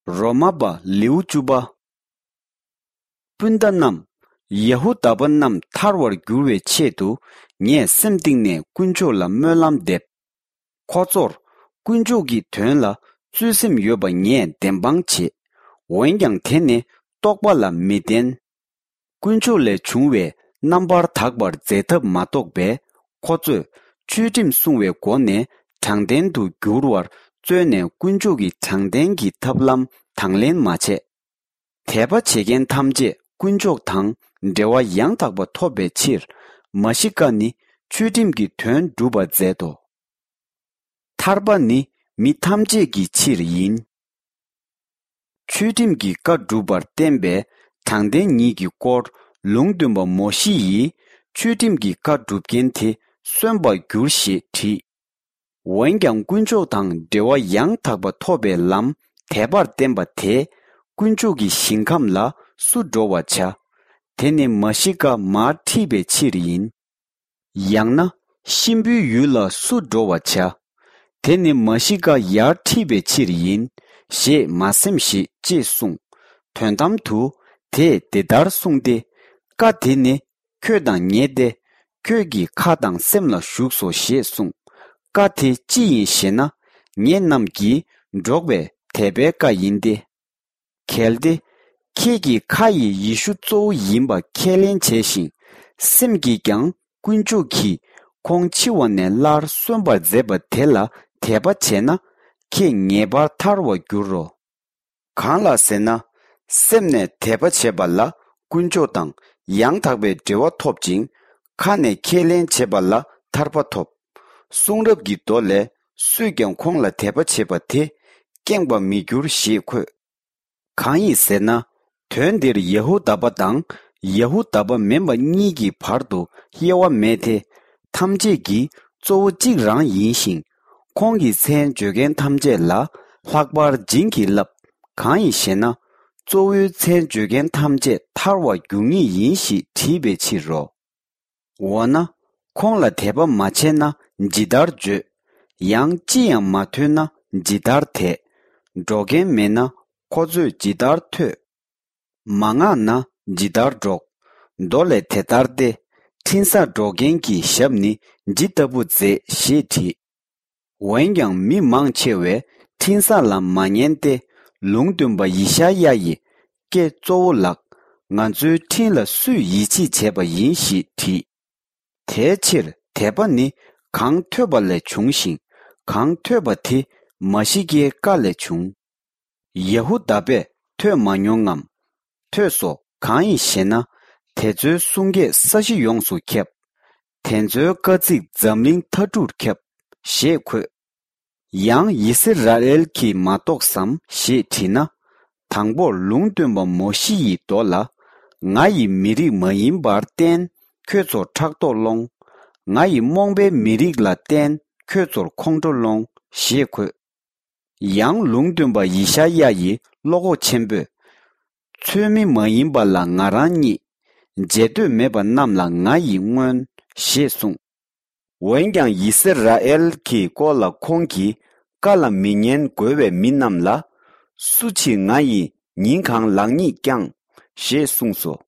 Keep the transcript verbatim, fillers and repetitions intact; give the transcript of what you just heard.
རོ་མ་པ་ལེའུ་བཅུ་པ། སྤུན་ཟླ་རྣམས། ཡ་ཧུ་དཱ་པ་རྣམས་ཐར་བར་འགྱུར་བའི་ཆེད་དུ། ངས་སེམས་གཏིང་ནས་དཀོན་མཆོག་ལ་སྨོན་ལམ་འདེབས། ཁོ་ཚོར་དཀོན་མཆོག་གི་དོན་ལ་བརྩོན་སེམས་ཡོད་པ་ངས་བདེན་དཔང་བྱེད། འོན་ཀྱང་དེ་ནི་རྟོགས་པ་ལ་མི་ལྡན། དཀོན་མཆོག་ལས་བྱུང་བའི་རྣམ་པར་དག་པར་མཛད་ཐབས་མ་རྟོགས་པས། ཁོ་ཚོས་ཆོས་ཁྲིམས་སྲུང་བའི་སྒོ་ནས་དྲང་བདེན་དུ་འགྱུར་བར་བརྩོན་ནས། དཀོན་མཆོག་གི་དྲང་བདེན་གྱི་ཐབས་ལམ་དང་ལེན་མ་བྱས། དད་པ་བྱེད་མཁན་ཐམས་ཅད་དཀོན་མཆོག་དང་འབྲེལ་བ་ཡང་དག་པ་ཐོབ་པའི་ཕྱིར། མ་ཤི་ཀ་ནི་ཆོས་ཁྲིམས་ཀྱི་དོན་སྒྲུབ་པར་མཛད་དོ། ཐར་པ་ནི་མི་ཐམས་ཅད་ཀྱི་ཕྱིར་ཡིན། ཆོས་ཁྲིམས་ཀྱི་བཀའ་སྒྲུབ་པར་བསྟན་པའི་དྲང་བདེན་ཉིད་ཀྱི་སྐོར་ལུང་སྟོན་པ་མོ་ཤེ་ཡིས། ཆོས་ཁྲིམས་ཀྱི་བཀའ་སྒྲུབ་མཁན་དེ་གསོན་པར་འགྱུར་ཞེས་བྲིས། འོན་ཀྱང་དཀོན་མཆོག་དང་འབྲེལ་བ་ཡང་དག་པ་ཐོབ་པའི་ལམ་དད་པར་བརྟེན་པ་དེས་དཀོན་མཆོག་གི་ཞིང་ཁམས་ལ་སུ་འགྲོ་བར་བྱ། དེ་ནི་མ་ཤི་ཀ་མར་ཁྲིད་པའི་ཕྱིར་ཡིན། ཡང་ན་གཤིན་པོའི་ཡུལ་ལ་སུ་འགྲོ་བར་བྱ། དེ་ནི་མ་ཤི་ཀ་ཡར་ཁྲིད་པའི་ཕྱིར་ཡིན་ཞེས་མ་སེམས་ཤིག་ཅེས་གསུངས། དོན་དམ་དུ་དེས་འདི་ལྟར་གསུངས་ཏེ། བཀའ་དེ་ནི་ཁྱོད་དང་ཉེ་སྟེ། ཁྱོད་ཀྱི་ཁ་དང་སེམས་ལ་ཞུགས་སོ་ཞེས་གསུངས། བཀའ་དེ་ཅི་ཡིན་ཞེ་ན། ངེད་རྣམས་ཀྱིས་སྒྲོག་པའི་དད་པའི་བཀའ་ཡིན་ཏེ། གལ་ཏེ། ཁྱེད་ཀྱིས་ཁ་ཡིས་ཡེ་ཤུ་གཙོ་བོ་ཡིན་པ་ཁས་ལེན་བྱས་ཤིང་། སེམས་ཀྱིས་ཀྱང་དཀོན་མཆོག་གིས་ཁོང་འཆི་བ་ནས་སླར་གསོན་པར་མཛད་པ་དེ་ལ་དད་པ་བྱས་ན། ཁྱེད་ངེས་པར་ཐར་བར་འགྱུར་རོ། གང་ལགས་ཟེར་ན། སེམས་ནས་དད་པ་བྱེད་པ་ལ་དཀོན་མཆོག་དང་ཡང་དག་པའི་འབྲེལ་བ་ཐོབ་ཅིང་། ཁ་ནས་ཁས་ལེན་བྱེད་པ་ལ་ཐར་པ་ཐོབ། གསུང་རབ་ཀྱི་མདོ་ལས། སུས་ཀྱང་ཁོང་ལ་དད་པ་བྱེད་པ་དེ་སྐྱེངས་པར་མི་འགྱུར་ཞེས་འཁོད། གང་ཡིན་ཟེར་ན། དོན་འདིར་ཡ་ཧུ་དཱ་པ་དང་ཡ་ཧུ་དཱ་པ་མིན་པ་གཉིས་ཀྱི་བར་དུ་དབྱེ་བ་མེད་དེ། ཐམས་ཅད་ཀྱི་གཙོ་བོ་གཅིག་རང་ཡིན་ཞིང་། ཁོང་གི་མཚན་བརྗོད་མཁན་ཐམས་ཅད་ལ་ལྷག་པར་བྱིན་གྱིས་བརླབས། གང་ཡིན་ཞེ་ན། གཙོ་བོའི་མཚན་བརྗོད་མཁན་ཐམས་ཅད་ཐར་བར་འགྱུར་ངེས་ཡིན་ཞེས་བྲིས་པའི་ཕྱིར་རོ། འོ་ན། ཁོང་ལ་དད་པ་མ་བྱས་ན་ཇི་ལྟར་བརྗོད། ཡང་ཅི་ཡང་མ་ཐོས་ན་ཇི་ལྟར་དད། སྒྲོག་མཁན་མེད་ན་ཁོ་ཚོས་ཇི་ལྟར་ཐོས། མ་མངགས་ན་ཇི་ལྟར་སྒྲོག། མདོ་ལས་དེ་ལྟར་ཏེ། འཕྲིན་བཟང་སྒྲོག་མཁན་གྱི་ཞབས་ནི་ཇི་ལྟ་བུ་མཛེས་ཞེས་བྲིས། འོན་ཀྱང་མི་མང་ཆེ་བས་འཕྲིན་བཟང་ལ་མ་ཉན་ཏེ། ལུང་སྟོན་པ་ཡེ་ཤ་ཡ་ཡི་སྐད་གཙོ་བོ་ལགས། ང་ཚོའི་འཕྲིན་ལ་སུས་ཡིད་ཆེས་བྱས་པ་ཡིན་ཞེས་དྲིས། དེའི་ཕྱིར་དད་པ་ནི་གང་ཐོས་པ་ལས་བྱུང་ཞིང་། གང་ཐོས་པ་དེ་མ་ཤི་ཀའི་བཀའ་ལས་བྱུང་། ཡ་ཧུ་དཱ་པས་ཐོས་མ་མྱོང་ངམ། ཐོས་སོ། གང་ཡིན་ཞེ་ན། དེ་ཚོའི་གསུང་སྐད་ས་གཞི་ཡོངས་སུ་ཁྱབ། དེ་ཚོའི་བཀའ་ཚིག་འཛམ་གླིང་མཐའ་གྲུར་ཁྱབ། ཞེས་འཁོད། ཡང་ཡི་སི་ར་ཨེལ་གྱིས་མ་རྟོགས་སམ་ཞེས་དྲིས་ན། དང་པོར་ལུང་སྟོན་པ་མོ་ཤེ་ཡི་མདོ་ལ། ང་ཡི་མི་རིགས་མ་ཡིན་པར་བརྟེན་ཁྱོད་ཚོར་ཕྲག་དོག་སློང་། ང་ཡི་རྨོངས་པའི་མི་རིགས་ལ་བརྟེན་ཁྱོད་ཚོར་ཁོང་ཁྲོ་སློང་ཞེས་འཁོད། ཡང་ལུང་སྟོན་པ་ཡེ་ཤ་ཡ་ཡི་བློ་ཁོག་ཆེན་པོས། ཚོལ་མི་མ་ཡིན་པ་ལ་ང་རང་རྙེད། མཇལ་འདོད་མེད་པ་རྣམས་ལ་ང་ཡིས་མངོན། ཞེས་གསུངས། འོན་ཀྱང་ཡི་སི་ར་ཨེལ་གྱི་སྐོར་ལ་ཁོང་གིས་བཀའ་ལ་མི་ཉན་རྒོལ་བའི་མི་རྣམས་ལ། སུ་ཕྱིར་ང་ཡིས་ཉིན་གང་ལག་གཉིས་བརྐྱངས། ཞེས་གསུངས་སོ།